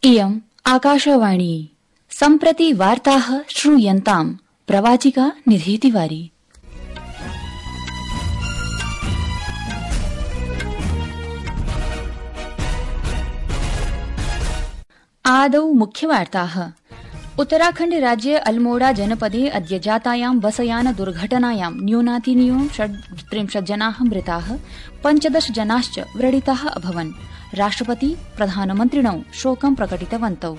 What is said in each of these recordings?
इयम् आकाशवाणी सम्प्रति वार्ताः श्रूयन्ताम् प्रवाचिका निधि तिवारी। आदौ मुख्यवार्ताः। उत्तराखण्ड राज्ये अल्मोड़ा जनपदे अद्य जातायां बसयान दुर्घटनायां न्यूनातिन्यूनं 37 जनाः मृताः, 15 जनाश्च व्रणिताः अभवन्। राष्ट्रपति प्रधानमन्त्रिणौ शोकं प्रकटितवन्तौ।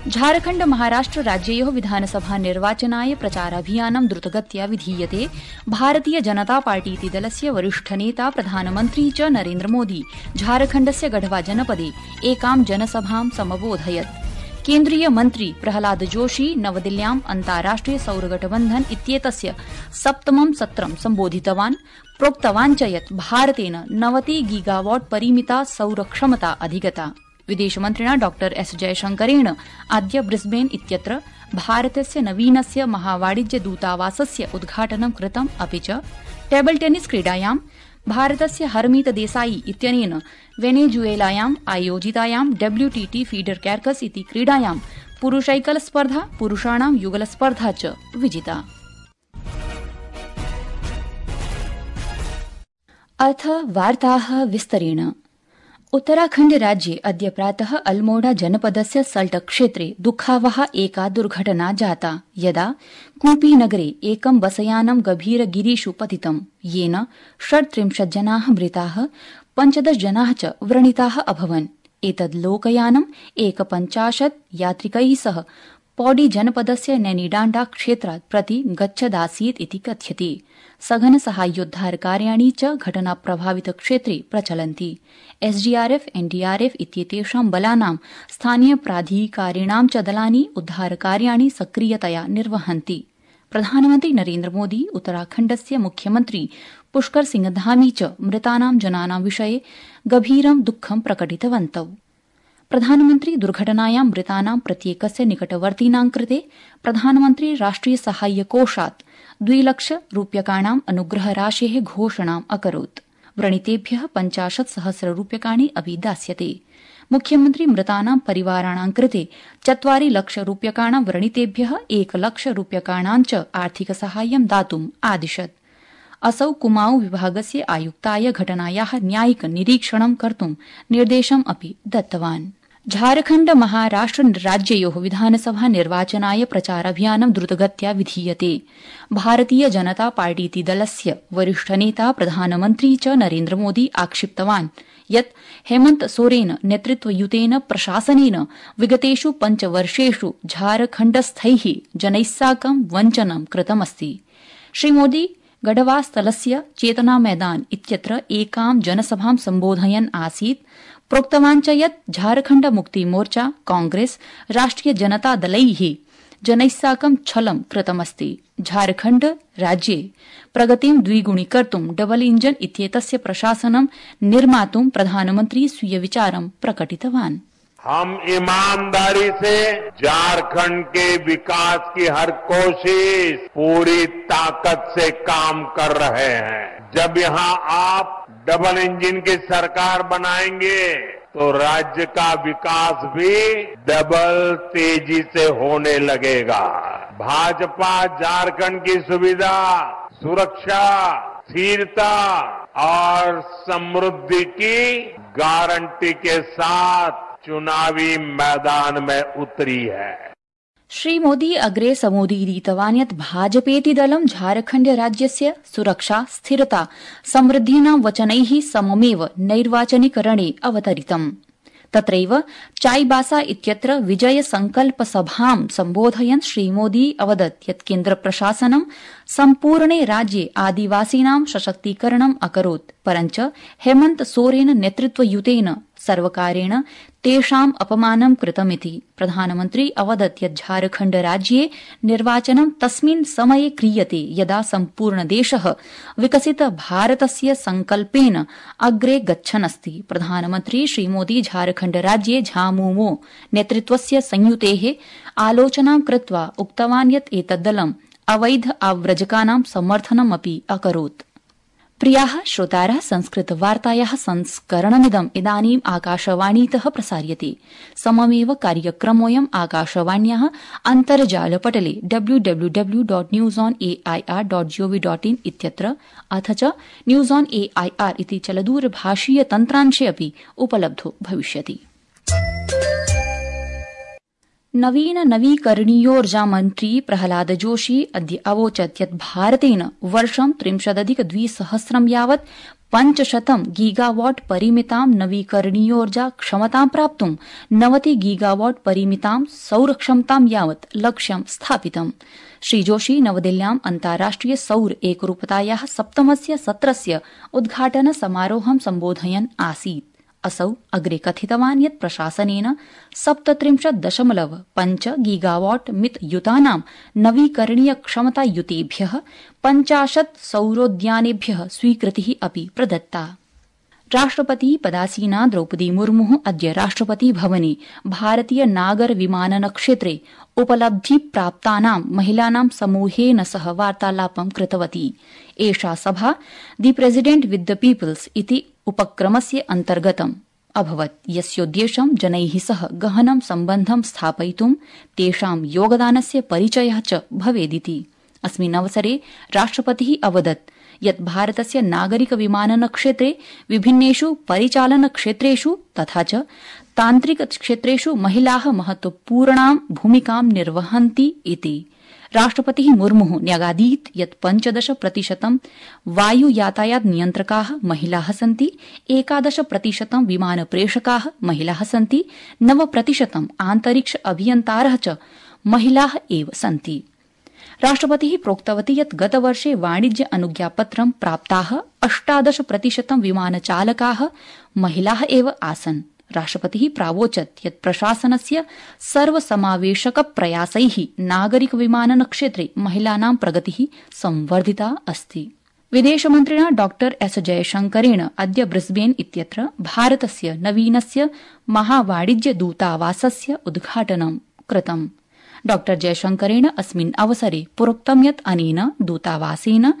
झारखण्ड महाराष्ट्र राज्ययोः विधानसभा निर्वाचनाय प्रचाराभियानं द्रुतगत्या विधीयते। भारतीय जनता पार्टीति दलस्य वरिष्ठनेता प्रधानमन्त्री च नरेन्द्र मोदी झारखण्डस्य गढ़वा जनपदे एकां जनसभां समबोधयत्। केन्द्रीय मन्त्री प्रहलाद जोशी नवदिल्ल्याम् अन्ताराष्ट्रिय सौरगठबन्धन इत्येतस्य 7मं सत्रं सम्बोधितवान्। प्रोक्तवान् च यत् भारतेन 90 गीगावाट् परिमिता सौरक्षमता अधिगता। विदेशमन्त्रिणा डॉ एस जयशंकरेण अद्य ब्रिस्बेन इत्यत्र भारतस्य नवीनस्य महावाणिज्य दूतावासस्य उद्घाटनं कृतम्। अपि च टेबल टेनिस क्रीडायां भारतस्य हरमीत देसाई इत्यनेन वेनेजुएलायाम् आयोजितायां WTT फीडर कैर्कस इति क्रीडायां पुरुषैकल स्पर्धा, पुरुषाणां युगल स्पर्धा च विजिता। अथ वार्ताः विस्तरेण। उत्तराखण्ड राज्ये अद्य प्रातः अल्मोड़ा जनपदस्य सल्ट क्षेत्रे दुःखावहा एका दुर्घटना जाता, यदा कूपी नगरे एकं बसयानं गभीरगिरिषु पतितं, येन 37 जनाः मृताः, 15 जनाः च व्रणिताः अभवन्। एतद् लोकयानं 51 यात्रिकैः सह पौडी जनपदस्य नैनीडाण्डा क्षेत्रात् प्रति गच्छदासीत् इति कथ्यते। सघन साहाय्योद्धार कार्याणि च घटना प्रभावित क्षेत्रे प्रचलन्ति। SDRF, NDRF इत्येतेषां बलानां स्थानीय प्राधिकारिणां च दलानि उद्धारकार्याणि सक्रियतया निर्वहन्ति। प्रधानमन्त्री नरेन्द्र मोदी, उत्तराखण्डस्य मुख्यमन्त्री पुष्कर सिंह धामी च मृतानां जनानां विषये गभीरं दुःखं प्रकटितवन्तौ। प्रधानमन्त्री दुर्घटनायां मृतानां प्रत्येकस्य निकटवर्तिनां कृते प्रधानमन्त्री राष्ट्रिय साहाय्य कोषात् 2 लाख रूप्यकाणां अनुग्रहराशेः घोषणाम् अकरोत्। व्रणितेभ्यः 50,000 रूप्यकाणि अपि दास्यते। मुख्यमन्त्री मृतानां परिवाराणां कृते 4 लाख रूप्यकाणां, व्रणितेभ्यः 1 लाख रूप्यकाणां च आर्थिक साहाय्यं दातुम् आदिशत्। असौ कुमाऊं विभागस्य आयुक्ताय घटनायाः न्यायिक निरीक्षणं कर्तुं निर्देशम् अपि दत्तवान्। झारखण्ड महाराष्ट्र राज्ययोः विधानसभा निर्वाचनाय प्रचाराभियानं द्रुतगत्या विधीयते। भारतीय जनता पार्टीति दलस्य वरिष्ठनेता प्रधानमन्त्री च नरेन्द्र मोदी आक्षिप्तवान् यत् हेमन्त सोरेन नेतृत्वयुतेन प्रशासनेन विगतेषु 5 वर्षेषु झारखण्डस्थैः जनैः साकं वञ्चनं कृतमस्ति। श्रीमोदी गढ़वा स्थलस्य चेतना मैदान इत्यत्र एकां जनसभां सम्बोधयन् आसीत्। प्रोक्तवान् च यत् झारखण्ड मुक्ति मोर्चा, कांग्रेस, राष्ट्रिय जनता दलैः जनैः साकं छलं कृतमस्ति। झारखण्ड राज्ये प्रगतिं द्विगुणीकर्तुं डबल इंजन इत्येतस्य प्रशासनं निर्मातुं प्रधानमन्त्री स्वीय विचारं प्रकटितवान्। हम ईमानदारी से झारखंड के विकास की हर कोशिश पूरी ताकत से काम कर रहे हैं। जब यहाँ आप डबल इंजन की सरकार बनाएंगे तो राज्य का विकास भी डबल तेजी से होने लगेगा। भाजपा झारखंड की सुविधा, सुरक्षा, स्थिरता और समृद्धि की गारंटी के साथ चुनावी मैदान में उतरी है। श्रीमोदी अग्रे समुदीरितवान् यत् भाजपेति दलं झारखण्ड राज्यस्य सुरक्षा, स्थिरता, समृद्धीनां वचनैः सममेव नैर्वाचनिक रणे अवतरितम्। तत्रैव चाईबासा इत्यत्र विजय संकल्प सभां सम्बोधयन् श्रीमोदी अवदत् यत् केन्द्र प्रशासनं सम्पूर्णे राज्ये आदिवासीनां सशक्तीकरणम् अकरोत्, परञ्च हेमन्त सोरेन नेतृत्वयुतेन सर्वकारेण तेषाम् अपमानं कृतमिति। प्रधानमन्त्री अवदत् यत् झारखण्ड राज्ये निर्वाचनं तस्मिन् समये क्रियते यदा सम्पूर्ण देशः विकसित भारतस्य संकल्पेन अग्रे गच्छन्नस्ति। प्रधानमन्त्री श्रीमोदी झारखण्ड राज्ये झामुमो नेतृत्वस्य संयुतेः आलोचनां कृत्वा उक्तवान् यत् एतद्दलं अवैध आव्रजकानां समर्थनमपि अकरोत्। प्रियाः श्रोतारः, संस्कृतवार्तायाः संस्करणमिदम् इदानीम् आकाशवाणीतः प्रसार्यते। सममेव कार्यक्रमोऽयम् आकाशवाण्याः अन्तर्जालपटले www.newsonair.gov.in इत्यत्र अथ च न्यूज ऑन एआईआर इति चलदूरभाषीय तन्त्रांशे अपि उपलब्धो भविष्यति। नवीकरणीयोर्जामन्त्री प्रहलाद जोशी अद्य अवोचत् यत् भारतेन वर्षं 30,2000 यावत् 500 गीगावाट परिमितां नवीकरणीयोर्जा क्षमतां प्राप्तुं 90 गीगावाट परिमितां सौरक्षमतां यावत् लक्ष्यं स्थापितम्। श्रीजोशी नवदिल्ल्याम् अन्ताराष्ट्रिय सौर एकरूपतायाः 7मस्य सत्रस्य उद्घाटन समारोहं सम्बोधयन् आसीत्। असौ अग्रे कथितवान् यत् प्रशासनेन 37.5 गीगावाट मितयुतानां नवीकरणीय क्षमतायुतेभ्यः 50 सौरोद्यानेभ्यः स्वीकृतिः अपि प्रदत्ता। राष्ट्रपति पदासीना द्रौपदी मुर्मुः अद्य राष्ट्रपति भवने भारतीय नागर विमानन क्षेत्रे उपलब्धिप्राप्तानां महिलानां समूहेन सह वार्तालापं कृतवती। एषा सभा दि प्रेसिडेंट विथ द पीपल्स इति उपक्रमस्य अन्तर्गतम् अभवत्, यस्योद्देश्यं जनैः सह गहनं सम्बन्धं स्थापयितुं तेषां योगदानस्य परिचयः च भवेदिति। अस्मिन् अवसरे राष्ट्रपतिः अवदत् यत् भारतस्य नागरिक विमानन क्षेत्रे विभिन्नेषु परिचालन क्षेत्रेषु तथा च तान्त्रिक क्षेत्रेषु महिलाः महत्वपूर्णां भूमिकां निर्वहन्ति इति। राष्ट्रपतिः मुर्मुः न्यगादीत् यत् 15% वायु यातायात नियन्त्रकाः महिलाः सन्ति, 11% विमानप्रेषकाः महिलाः सन्ति, 9% आन्तरिक्ष अभियन्तारः च महिलाः एव सन्ति। राष्ट्रपतिः प्रोक्तवती यत् गतवर्षे वाणिज्य अनुज्ञापत्रं प्राप्ताः 18% विमानचालकाः महिलाः एव आसन्। राष्ट्रपतिः प्रावोचत् यत् प्रशासनस्य सर्वसमावेशक प्रयासैः नागरिक विमानन क्षेत्रे महिलानां प्रगतिः संवर्धिता अस्ति। विदेशमन्त्रिणा डॉ एस जयशंकरेण अद्य ब्रिस्बेन इत्यत्र भारतस्य नवीनस्य महावाणिज्य दूतावासस्य उद्घाटनं कृतम्। डॉ जयशंकरेण अस्मिन् अवसरे प्रोक्तं यत् अनेन दूतावासेन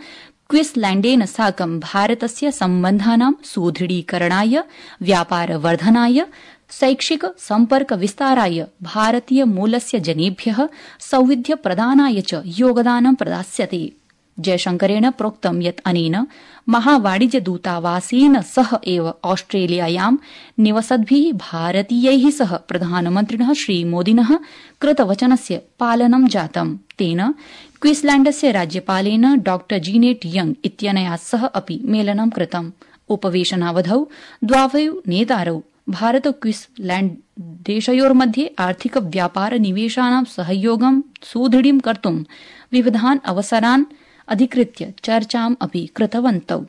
क्वीन्सलैण्डेन साकं भारतस्य सम्बन्धानां सुदृढीकरणाय, व्यापारवर्धनाय, शैक्षिक सम्पर्क विस्ताराय, भारतीय मूलस्य जनेभ्यः सौविध्य प्रदानाय च योगदानं प्रदास्यते। जयशंकरेण प्रोक्तं यत् अनेन महावाणिज्य दूतावासेन सह एव ऑस्ट्रेलियायां निवसद्भिः भारतीयैः सह प्रधानमन्त्रिणः श्रीमोदिनः कृतवचनस्य पालनं जातम्। तेन क्वीन्सलैण्डस्य राज्यपालेन डॉ जीनेट यंग इत्यनया सह अपि मेलनं कृतम्। उपवेशनावधौ द्वावौ नेतारौ भारत क्वीन्सलैण्ड देशयोर्मध्ये आर्थिक व्यापार निवेशानां सहयोगं सुदृढीं कर्तुं विविधान् अवसरान् अधिकृत्य चर्चाम् अपि कृतवन्तौ।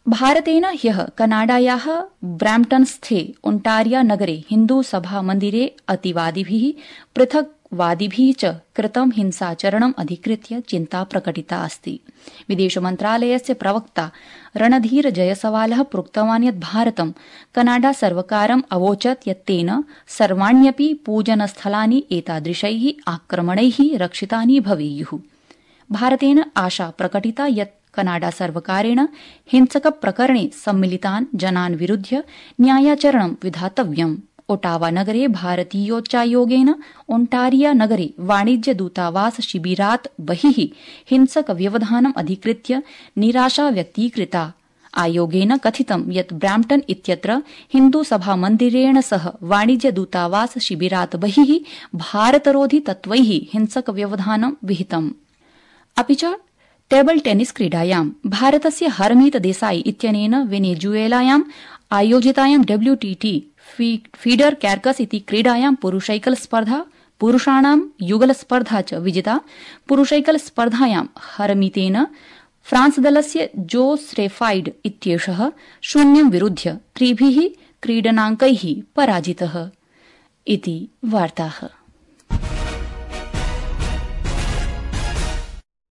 भारतेन ह्यः कनाडायाः ब्रैम्पटनस्थे ओंटारिया नगरे हिन्दू सभा मन्दिरे अतिवादिभिः पृथक्वादिभिः च कृतं हिंसाचरणम् अधिकृत्य चिन्ता प्रकटिता अस्ति। विदेशमन्त्रालयस्य प्रवक्ता रणधीर जयसवालः प्रोक्तवान् यत् भारतं कनाडा सर्वकारम् अवोचत् यत् तेन सर्वाण्यपि पूजनस्थलानि एतादृशैः आक्रमणैः रक्षितानि भवेयुः। भारतेन आशा प्रकटिता यत् कनाडा सर्वकारेण हिंसक प्रकरणे सम्मिलितान् जनान् विरुध्य न्यायाचरणं विधातव्यम्। ओटावा नगरे भारतीयोच्चायोगेन ओंटारिया नगरे वाणिज्य दूतावास शिबिरात् बहिः हिंसक व्यवधानम् अधिकृत्य निराशा व्यक्तीकृता। आयोगेन कथितं यत् ब्रैम्पटन इत्यत्र हिन्दू सभा मन्दिरेण सह वाणिज्य दूतावास शिबिरात् बहिः भारतरोधि तत्त्वैः हिंसक व्यवधानं विहितम्। अपि च टेबल टेनिस क्रीडायां भारतस्य हरमीत देसाई इत्यनेन वेनेजुएलायां आयोजितायां WTT फीडर कैर्कस इति क्रीडायां पुरुषैकल स्पर्धा, पुरुषाणां युगल स्पर्धा च विजिता। पुरुषैकल स्पर्धायां हरमीतेन फ्रांस दलस्य जो स्रेफाइड इत्येषः 0 विरुध्य 3 क्रीडनाङ्कैः पराजितः। इति वार्ताः।